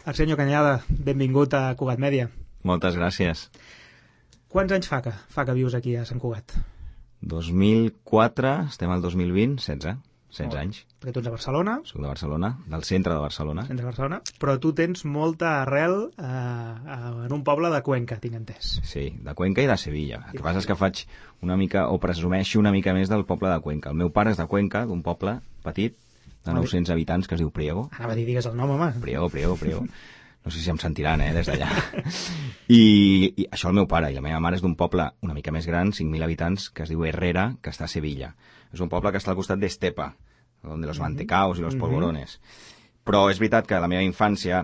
Arsenio Cañada, benvingut a Cugat Mèdia. Moltes gràcies. Quants anys fa que vius aquí a Sant Cugat? 2004, estem al 2020, 16 anys. Perquè tu ets de Barcelona. Soc de Barcelona, del centre de Barcelona. Centre de Barcelona, però tu tens molta arrel en un poble de Cuenca, tinc entès. Sí, de Cuenca i de Sevilla. El que passa és que faig una mica, o presumeixo una mica més del poble de Cuenca. El meu pare és de Cuenca, d'un poble petit, de 900 habitants, que es diu Priego. Anava a dir, digues el nom, home. Priego. No sé si em sentiran, des d'allà. I això el meu pare, i la meva mare és d'un poble una mica més gran, 5.000 habitants, que es diu Herrera, que està a Sevilla. És un poble que està al costat d'Estepa, on de los mantecaos i los polvorones. Però és veritat que la meva infància,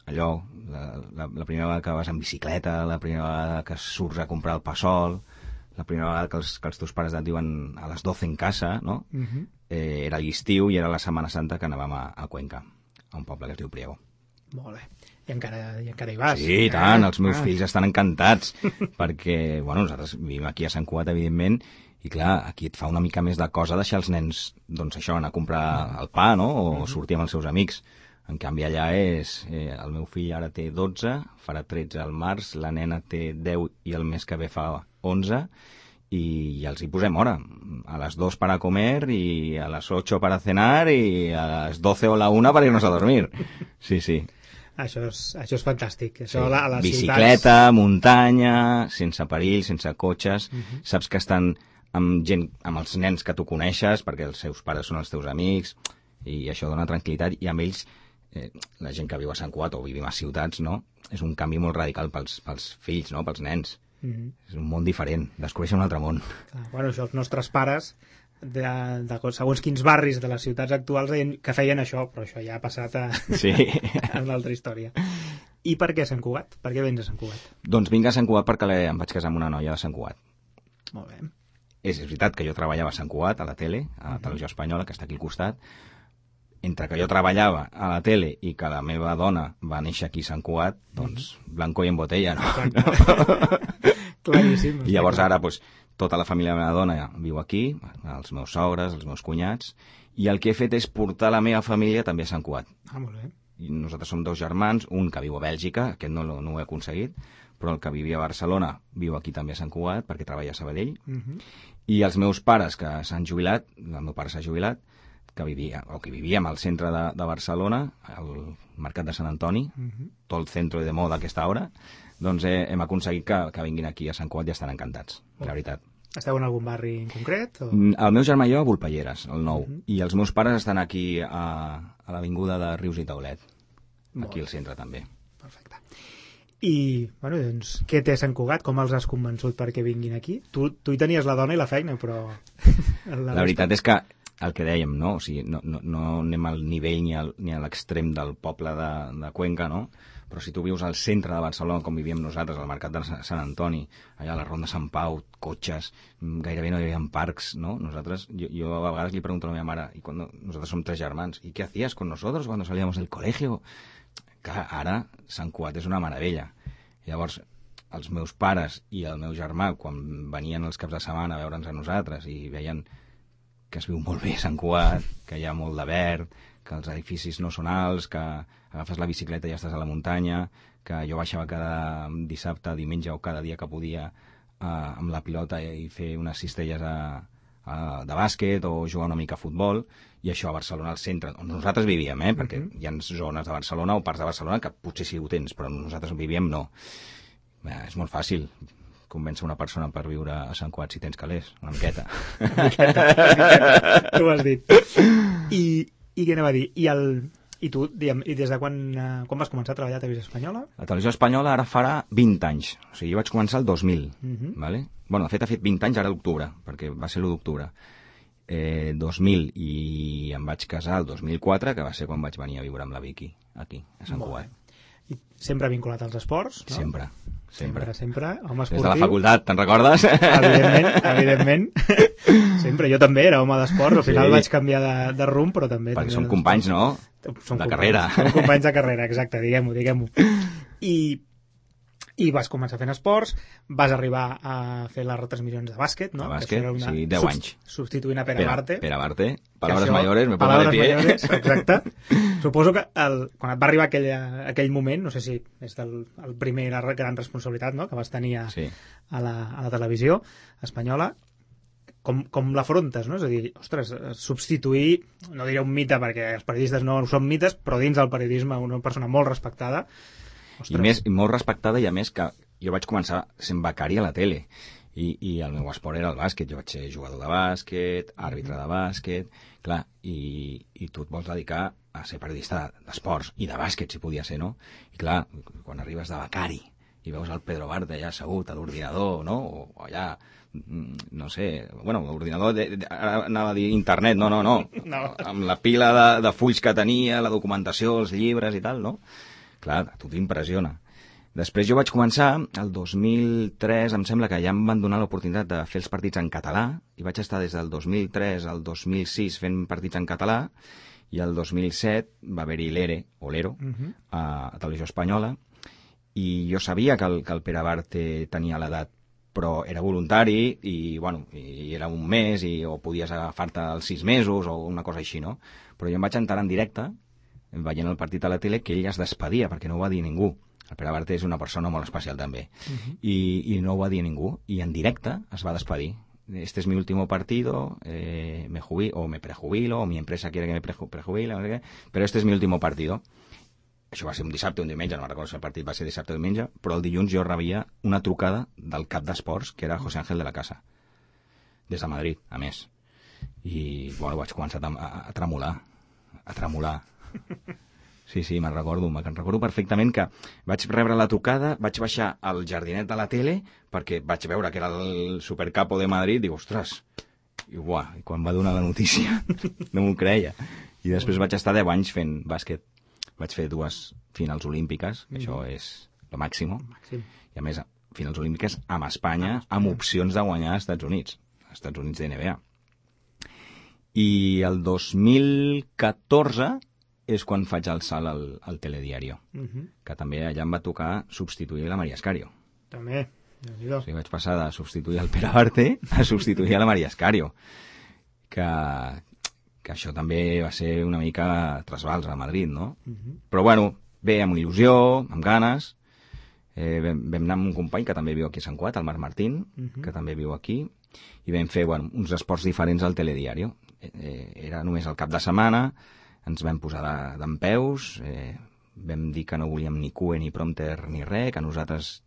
allò, la primera vegada que vas en bicicleta, la primera vegada que surts a comprar el pa sol, la primera vegada que els teus pares et diuen a les 12 en casa, no? Era l'estiu i era la Setmana Santa que anàvem a Cuenca, a un poble que es diu Priego. Molt bé. I encara hi vas. Sí, i tant, els meus fills estan encantats, perquè, bueno, nosaltres vivim aquí a Sant Cugat, evidentment, i clar, aquí et fa una mica més de cosa deixar els nens, doncs això, anar a comprar el pa, no?, o sortir amb els seus amics. En canvi, allà és... el meu fill ara té 12, farà 13 al març, la nena té 10 i el mes que ve fa 11, y els hi posem hora. A las 2 para comer y a las 8 para cenar y a las 12 o la 1 para irnos a dormir. Sí, sí. Això és fantàstic. Això Sí. a les Bicicleta, ciutats... muntanya, sense perill, sense cotxes. Saps que estan amb gent, amb els nens que tu coneixes, perquè els seus pares són els teus amics, i això dona tranquil·litat, i amb ells, la gent que viu a Sant Cugat o vivim a ciutats, no?, és un canvi molt radical pels fills, no?, pels nens. És un món diferent, descobreixen un altre món. Bueno, això els nostres pares de segons quins barris de les ciutats actuals que feien això, però això ja ha passat Sí. en l'altra història. I per què Sant Cugat? Per què vens a Sant Cugat? Doncs vinc a Sant Cugat perquè em vaig casar amb una noia de Sant Cugat. Molt bé. És veritat que jo treballava a Sant Cugat, a la tele, a la televisió espanyola, que està aquí al costat. Entre que jo treballava a la tele i que la meva dona va néixer aquí a Sant Cugat, doncs blanco i en botella, no? Claríssim. I llavors ara, doncs, tota la família de la meva dona viu aquí, els meus sogres, els meus cunyats, i el que he fet és portar la meva família també a Sant Cugat. Molt bé. I nosaltres som 2 germans, un que viu a Bèlgica, aquest no ho he aconseguit, però el que vivia a Barcelona viu aquí també a Sant Cugat, perquè treballa a Sabadell, i els meus pares que s'han jubilat, el meu pare s'ha jubilat, que vivíem al centre de Barcelona, al Mercat de Sant Antoni, tot el centre de moda a aquesta hora, doncs hem aconseguit que vinguin aquí a Sant Cugat i estan encantats, la veritat. Esteu en algun barri en concret? O... El meu germà i jo a Volpelleres, el nou, i els meus pares estan aquí a l'avinguda de Rius i Taulet, aquí al centre també. Perfecte. I, bueno, doncs, què té Sant Cugat? Com els has convençut perquè vinguin aquí? Tu hi tenies la dona i la feina, però... La veritat és que el que dèiem, no? O sigui, no anem al nivell ni a l'extrem del poble de Cuenca, no? Però si tu vius al centre de Barcelona, com vivíem nosaltres, al Mercat de Sant Antoni, allà a la Ronda Sant Pau, cotxes, gairebé no hi havia parcs, no? Nosaltres, jo a vegades li pregunto a la meva mare, i nosaltres som 3 germans, ¿y qué hacías con nosotros cuando salíamos del colegio? Clar, ara Sant Cugat és una meravella. Llavors, els meus pares i el meu germà, quan venien els caps de setmana a veure'ns a nosaltres i veien que es viu molt bé a Sant Cugat, que hi ha molt de verd, que els edificis no són alts, que agafes la bicicleta i ja estàs a la muntanya, que jo baixava cada dissabte, diumenge o cada dia que podia amb la pilota i fer unes cistelles de bàsquet o jugar una mica a futbol, i això a Barcelona al centre, on nosaltres vivíem, perquè hi ha zones de Barcelona o parts de Barcelona que potser sí ho tens, però nosaltres vivíem no. És molt fàcil convèncer una persona per viure a Sant Cugat si tens calés, una miqueta. Una miqueta. Tu ho has dit. I què anava a dir? I tu, diguem, i des de quan vas començar a treballar a Televisió Espanyola? La Televisió Espanyola ara farà 20 anys. O sigui, jo vaig començar el 2000. Vale? Bueno, de fet, ha fet 20 anys ara d'octubre, perquè va ser l'1 d'octubre. 2000, i em vaig casar el 2004, que va ser quan vaig venir a viure amb la Vicky, aquí, a Sant Cugat. I sempre vinculat als esports, no? Sempre. Home esportiu. Des de la facultat, te'n recordes? Evidentment. Sempre, jo també era home d'esports, al final vaig canviar de rumb, però també... Perquè som companys, no? De carrera. Som companys de carrera, exacte, diguem-ho. I I vas començar fent esports, vas arribar a fer les retransmissions de bàsquet, no? De bàsquet, sí, 10 anys. Substituint a Pere Barte. Pere Barte, palabras mayores, me pongo de pie. Mayores, exacte. Suposo que quan et va arribar aquell moment, no sé si és el primer gran responsabilitat, no?, que vas tenir a la televisió espanyola, com l'afrontes, no? És a dir, ostres, substituir, no diré un mite perquè els periodistes no són mites, però dins del periodisme una persona molt respectada. I molt respectada, i a més que jo vaig començar sent becari a la tele i el meu esport era el bàsquet. Jo vaig ser jugador de bàsquet, àrbitre de bàsquet, clar, i tu et vols dedicar a ser periodista d'esports i de bàsquet, si podia ser, no? I clar, quan arribes de becari i veus el Pedro Barte allà assegut a l'ordinador, no? O allà, no sé, bueno, l'ordinador, ara anava a dir internet, no. Amb la pila de fulls que tenia, la documentació, els llibres i tal, no? Clar, a tu t'impressiona. Després jo vaig començar, el 2003, em sembla que ja em van donar l'oportunitat de fer els partits en català, i vaig estar des del 2003 al 2006 fent partits en català, i el 2007 va haver-hi l'ERE, a Televisió Espanyola, i jo sabia que el Pere Barte tenia l'edat, però era voluntari, i era un mes, o podies agafar-te els 6 mesos, o una cosa així, no? Però jo em vaig enterar en directe, veient el partit a la tele, que ell es despedia, perquè no ho va dir ningú. El Pere Barte és una persona molt especial, també. I no ho va dir ningú. I en directe es va despedir. Este es mi último partido, me jubilo, o me prejubilo, o mi empresa quiere que me prejubile, no sé què, però este es mi último partido. Això va ser un dissabte o un diumenge, no recordo si el partit va ser dissabte o diumenge, però el dilluns jo rebia una trucada del cap d'esports, que era José Ángel de la Casa, des de Madrid, a més. I, vaig començar a tremolar. Sí, me'n recordo perfectament que vaig rebre la trucada, vaig baixar al jardinet de la tele perquè vaig veure que era el supercapo de Madrid, dic, ostres, i quan va donar la notícia no m'ho creia. I després vaig estar 10 anys fent bàsquet. Vaig fer 2 finals olímpiques, que això és lo màxim. I a més, finals olímpiques amb Espanya, amb opcions de guanyar als Estats Units de NBA. I el 2014 és quan faig el salt al Telediario, que també allà em va tocar substituir la Maria Escario. També, o sigui, vaig passar de substituir el Pere Barte a substituir a la Maria Escario, que això també va ser una mica trasbals a Madrid, no? Però bé, amb il·lusió, amb ganes. Vam anar amb un company que també viu aquí a Sant Cugat, el Marc Martín, que també viu aquí, i vam fer uns esports diferents al Telediario. Era només el cap de setmana, ens vam posar dempeus, vam dir que no volíem ni cue, ni prompter, ni res, que nosaltres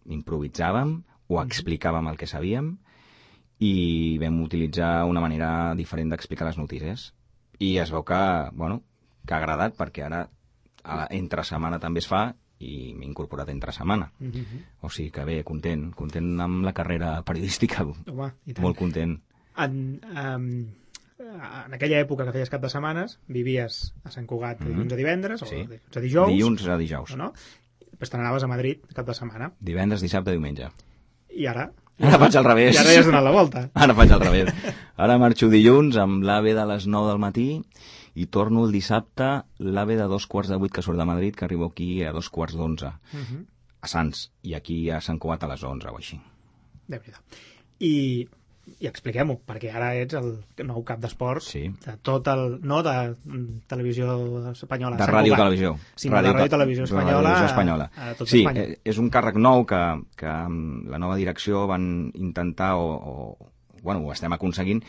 improvisàvem o explicàvem el que sabíem, i vam utilitzar una manera diferent d'explicar les notícies. I es veu que ha agradat, perquè ara entre setmana també es fa, i m'he incorporat entre setmana. O sigui que bé, content amb la carrera periodística. Home, molt content. En aquella època que feies cap de setmanes, vivies a Sant Cugat de dilluns a divendres, o a dijous. Dilluns a dijous. No? Després te n'anaves a Madrid cap de setmana. Divendres, dissabte, diumenge. I ara? Ara faig al revés. I ara ja has donat la volta. Ara faig al revés. Ara marxo dilluns amb l'AVE de les 9 del matí i torno el dissabte l'AVE de 7:45 que surt de Madrid, que arribo aquí a 11:45. A Sants. I aquí a Sant Cugat a les 11 o així. Déu-n'hi-do. I expliquem-ho, perquè ara ets el nou cap d'esports de tot no de televisió espanyola. De ràdio-televisió. Sí, de ràdio-televisió espanyola. Sí, és un càrrec nou que amb la nova direcció van intentar, ho estem aconseguint,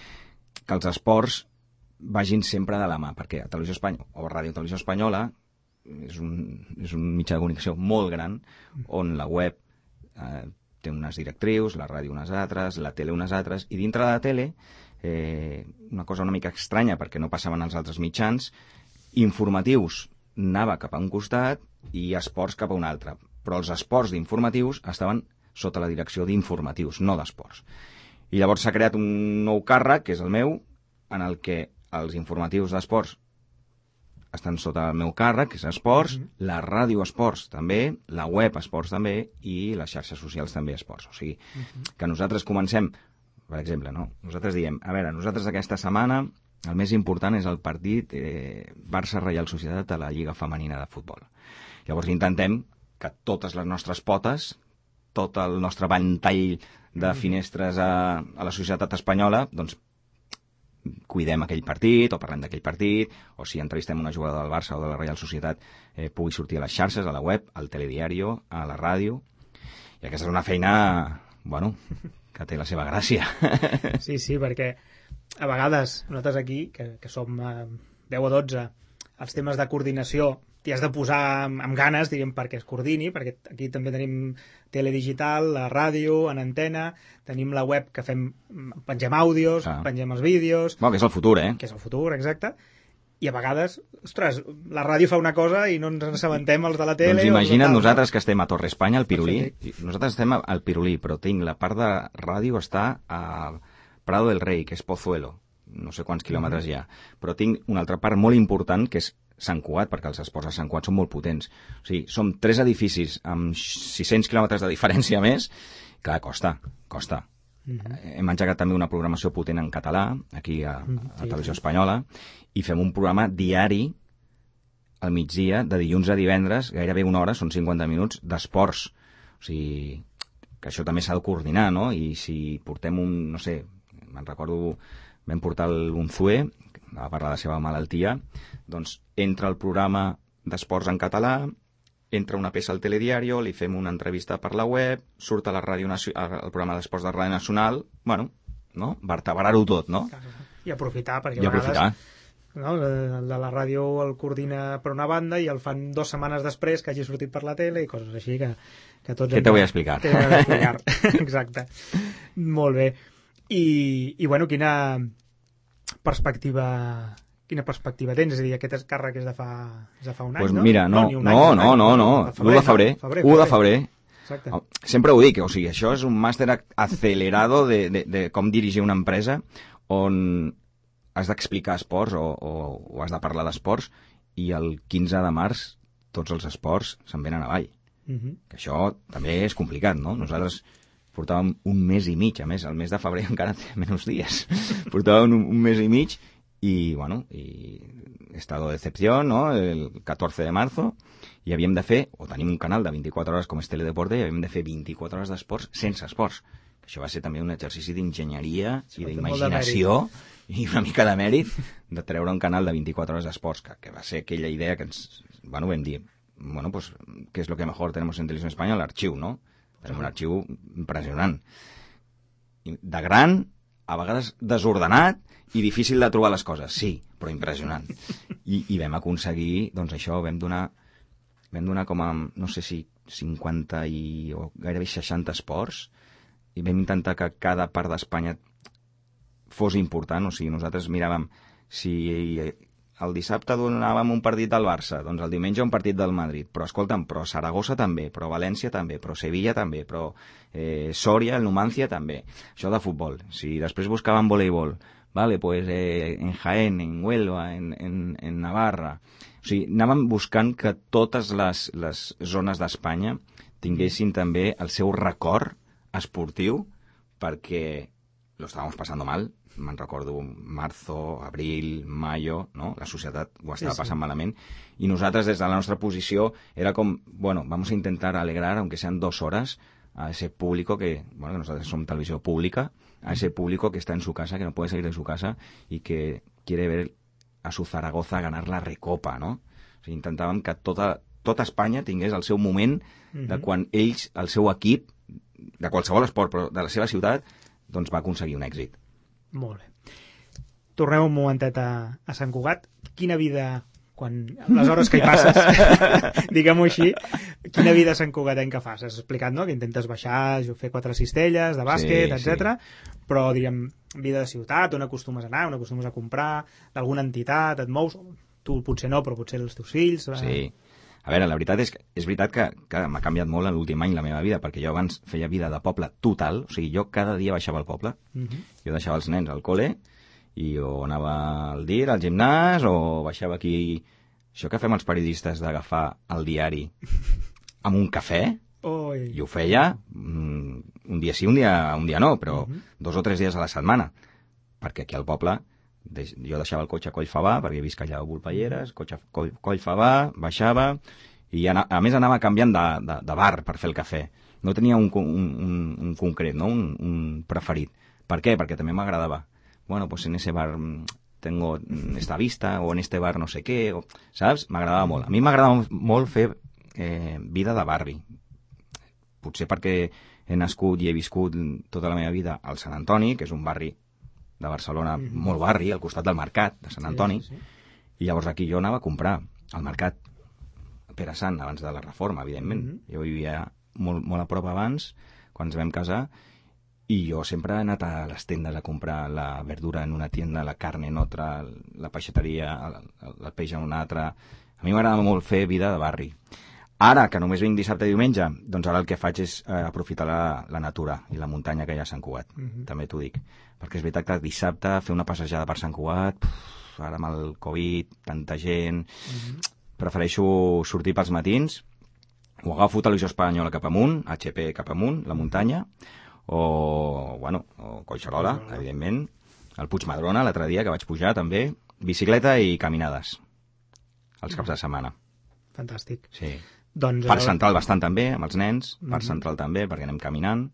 que els esports vagin sempre de la mà, perquè a Televisió Espanyola o Ràdio-Televisió Espanyola és un mitjà de comunicació molt gran, on la web té unes directrius, la ràdio unes altres, la tele unes altres, i dintre de la tele, una cosa una mica estranya, perquè no passaven als altres mitjans, informatius anava cap a un costat i esports cap a un altre. Però els esports d'informatius estaven sota la direcció d'informatius, no d'esports. I llavors s'ha creat un nou càrrec, que és el meu, en el que els informatius d'esports estan sota el meu càrrec, que és esports, la ràdio esports també, la web esports també, i les xarxes socials també esports. O sigui, que nosaltres comencem, per exemple, no? Nosaltres diem, a veure, nosaltres aquesta setmana el més important és el partit Barça-Reial Societat a la Lliga Femenina de Futbol. Llavors intentem que totes les nostres potes tot el nostre ventall de finestres a la societat espanyola, doncs cuidem aquell partit, o parlem d'aquell partit, o si entrevistem una jugadora del Barça o de la Reial Societat, pugui sortir a les xarxes, a la web, al telediario, a la ràdio. I aquesta és una feina, bueno, que té la seva gràcia. Sí, perquè a vegades nosaltres aquí, que som 10 o 12, els temes de coordinació t'hi has de posar amb ganes, diríem, perquè es coordini, perquè aquí també tenim teledigital, la ràdio, en antena, tenim la web que pengem àudios, pengem els vídeos... Bueno, que és el futur, Que és el futur, exacte. I a vegades, ostres, la ràdio fa una cosa i no ens assabentem els de la tele... Doncs imagina't nosaltres que estem a Torre Espanya, al Pirulí. Nosaltres estem al Pirulí, però tinc la part de ràdio està a Prado del Rei, que és Pozuelo. No sé quants quilòmetres hi ha. Però tinc una altra part molt important, que és Sant Cugat, perquè els esports a Sant Cugat són molt potents. O sigui, som 3 edificis amb 600 quilòmetres de diferència més. Clar, costa. Hem engegat també una programació potent en català, aquí a Televisió Espanyola, i fem un programa diari al migdia, de dilluns a divendres, gairebé una hora, són 50 minuts, d'esports. O sigui, que això també s'ha de coordinar, no? I si portem no sé, me'n recordo, vam portar l'Unzué, va parlar de la seva malaltia, doncs entra el programa d'esports en català, entra una peça al telediario, li fem una entrevista per la web, surt a la ràdio al programa d'esports de Ràdio Nacional, bueno, no? Vertebrar-ho tot, no? I aprofitar, perquè a vegades no? El de la ràdio el coordina per una banda i el fan 2 setmanes després que hagi sortit per la tele i coses així que tots... Què te vull explicar? Exacte. Molt bé. I bueno, quina perspectiva tens? És a dir, aquest càrrec és de fa un any, pues no? Mira, no, 1 de febrer. 1 de febrer. Exacte. Sempre ho dic, o sigui, això és un màster acelerado de com dirigir una empresa on has d'explicar esports o has de parlar d'esports i el 15 de març tots els esports se'n venen avall. Que això també és complicat, no? Nosaltres portàvem un mes i mig, a més, el mes de febrer encara té menys dies. Portàvem un mes i mig i, bueno, estado de excepción, ¿no? El 14 de marzo, i havíem de fer, o tenim un canal de 24 hores com és Teledeporte, i havíem de fer 24 hores d'esports sense esports. Això va ser també un exercici d'enginyeria i d'imaginació i una mica de mèrit de treure un canal de 24 hores d'esports, que va ser aquella idea que ens, bueno, vam dir, bueno, pues, ¿qué es lo que mejor tenemos en Televisión Española? L'arxiu, no? Tenim un arxiu impressionant. De gran, a vegades desordenat i difícil de trobar les coses, sí, però impressionant. I vam aconseguir, doncs això, vam donar com a, no sé si 50 o gairebé 60 esports, i vam intentar que cada part d'Espanya fos important, o sigui, nosaltres miràvem si el dissabte donàvem un partit del Barça, doncs el diumenge un partit del Madrid, però escolta'm, però Saragossa també, però València també, però Sevilla també, però Soria, el Numancia també. Això de futbol. Si després buscàvem voleibol, vale, pues en Jaén, en Huelva, en Navarra. O sigui, anàvem buscant que totes les zones d'Espanya tinguessin també el seu record esportiu perquè lo estábamos pasando mal. Me'n recordo marzo, abril, mayo, no? La societat ho estava passant malament, i nosaltres des de la nostra posició era com, bueno, vamos a intentar alegrar, aunque sean 2 horas, a ese público que, bueno, que nosotros somos televisión pública, a ese público que está en su casa, que no puede salir de su casa y que quiere ver a su Zaragoza ganar la Recopa, no? O sigui, intentàvem que tota Espanya tingués el seu moment de quan ells, el seu equip, de qualsevol esport, però de la seva ciutat, doncs va aconseguir un èxit. Molt bé. Tornem un momentet a Sant Cugat. Quina vida, les hores que hi passes, diguem-ho així, quina vida santcugatenca fas? Has explicat, no?, que intentes baixar, fer 4 cistelles de bàsquet, etc. Però, diríem, vida de ciutat, on acostumes a anar, on acostumes a comprar, d'alguna entitat, et mous? Tu potser no, però potser els teus fills... Sí. A veure, la veritat és veritat que m'ha canviat molt en l'últim any la meva vida, perquè jo abans feia vida de poble total, o sigui, jo cada dia baixava al poble, jo deixava els nens al col·le, i o anava al DIR, al gimnàs, o baixava aquí... Això que fem els periodistes d'agafar el diari amb un cafè, i ho feia un dia sí, un dia no, però 2 o 3 dies a la setmana, perquè aquí al poble... Jo deixava el cotxe a Collfabà, perquè visc allà a Volpelleres, cotxe Collfabà, baixava, i a més anava canviant de bar per fer el cafè, No tenia un concret, no? Un preferit. Per què? Perquè també m'agradava. Bueno, pues en ese bar tengo esta vista, o en este bar no sé què, saps? M'agradava molt. A mi m'agradava molt fer vida de barri. Potser perquè he nascut i he viscut tota la meva vida al Sant Antoni, que és un barri de Barcelona, molt barri, al costat del mercat de Sant Antoni, i llavors aquí jo anava a comprar al mercat Pere Sant, abans de la reforma, evidentment. Jo vivia molt a prop abans, quan ens vam casar, i jo sempre he anat a les tendes a comprar la verdura en una tienda, la carn en otra, la peixateria, el peix en una altra. A mi m'agrada molt fer vida de barri. Ara, que només vinc dissabte i diumenge, doncs ara el que faig és aprofitar la natura i la muntanya que hi ha a Sant Cugat, també t'ho dic. Perquè és veritat que dissabte fer una passejada per Sant Cugat, ara amb el Covid, tanta gent... Prefereixo sortir pels matins, o agafo Televisió Espanyola cap amunt, HP cap amunt, la muntanya, o Collserola, evidentment, el Puigmadrona, l'altre dia, que vaig pujar també, bicicleta i caminades, els caps de setmana. Fantàstic. Sí. Parc Central bastant també, amb els nens, Parc Central també, perquè anem caminant.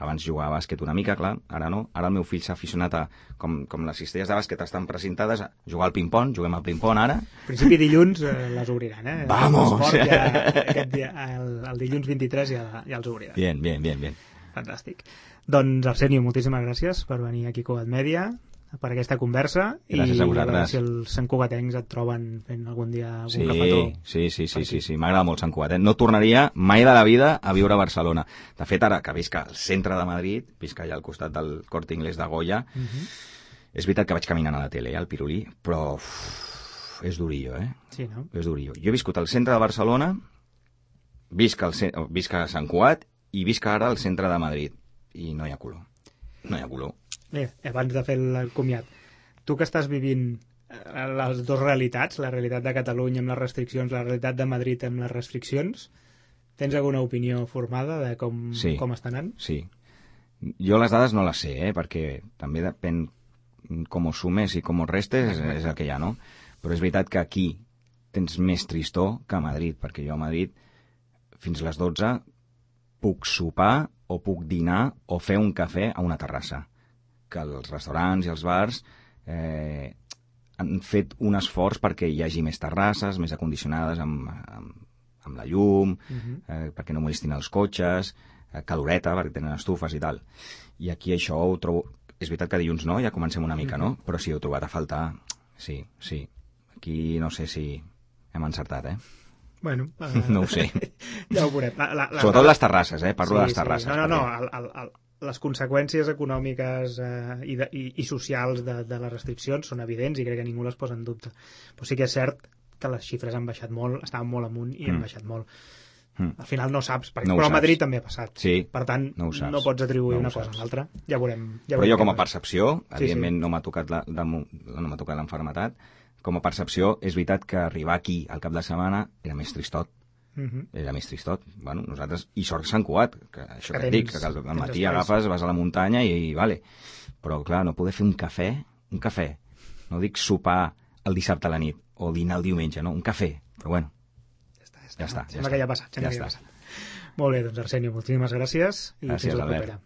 Abans jugava a bàsquet una mica, clar, ara no. Ara el meu fill s'ha aficionat a, com les cistelles de bàsquet estan presentades, a jugar al ping-pong, juguem al ping-pong ara. En principi dilluns les obriran, eh? Vamos! El dilluns 23 ja els obriran. Bien. Fantàstic. Doncs, Arsenio, moltíssimes gràcies per venir aquí a Cugat Mèdia, per aquesta conversa. Gràcies a vosaltres. I a veure si els santcugatencs et troben fent algun dia algun cafetó. Sí, m'agrada molt Sant Cugat. No tornaria mai de la vida a viure a Barcelona. De fet, ara que visc al centre de Madrid, visc allà al costat del Corte Inglés de Goya, és veritat que vaig caminant a la tele, al Pirulí, però és durillo, Sí, no? És durillo. Jo he viscut al centre de Barcelona, visc a Sant Cugat i visc ara al centre de Madrid. I no hi ha color. No hi ha color. Bé, abans de fer el comiat, tu que estàs vivint les dues realitats, la realitat de Catalunya amb les restriccions, la realitat de Madrid amb les restriccions, tens alguna opinió formada de com està anant? Sí. Jo les dades no les sé, perquè també depèn com ho sumes i com ho restes, és el que hi ha, no? Però és veritat que aquí tens més tristor que a Madrid, perquè jo a Madrid fins a les 12 puc sopar o puc dinar o fer un cafè a una terrassa. Que els restaurants i els bars han fet un esforç perquè hi hagi més terrasses, més acondicionades amb la llum, perquè no molestin els cotxes, caloreta, perquè tenen estufes i tal. I aquí això ho trobo... És veritat que dilluns no, ja comencem una mica, no? Però sí, ho he trobat a faltar. Sí. Aquí no sé si hem encertat, Bueno, no ho sé. Ja ho veurem. Sobretot les terrasses, parlo de les terrasses. No. Les conseqüències econòmiques i socials de les restriccions són evidents i crec que ningú les posa en dubte. Però sí que és cert que les xifres han baixat molt, estaven molt amunt i han baixat molt. Al final no saps, però a Madrid també ha passat. Sí, per tant, no pots atribuir una cosa a l'altra. Ja veurem. Però jo com a percepció, evidentment no m'ha tocat l'enfermetat, com a percepció és veritat que arribar aquí al cap de setmana era més tristot. Era més tristot. Bueno, nosaltres, i sort Sant Cugat, que això que et dic, que al matí agafes, vas a la muntanya i vale. Però clar, no poder fer un cafè, no dic sopar el dissabte a la nit o dinar el diumenge, no, un cafè, però bueno, ja està. Sembla que ja ha passat. Molt bé, doncs Arsenio, moltíssimes gràcies i fins la propera.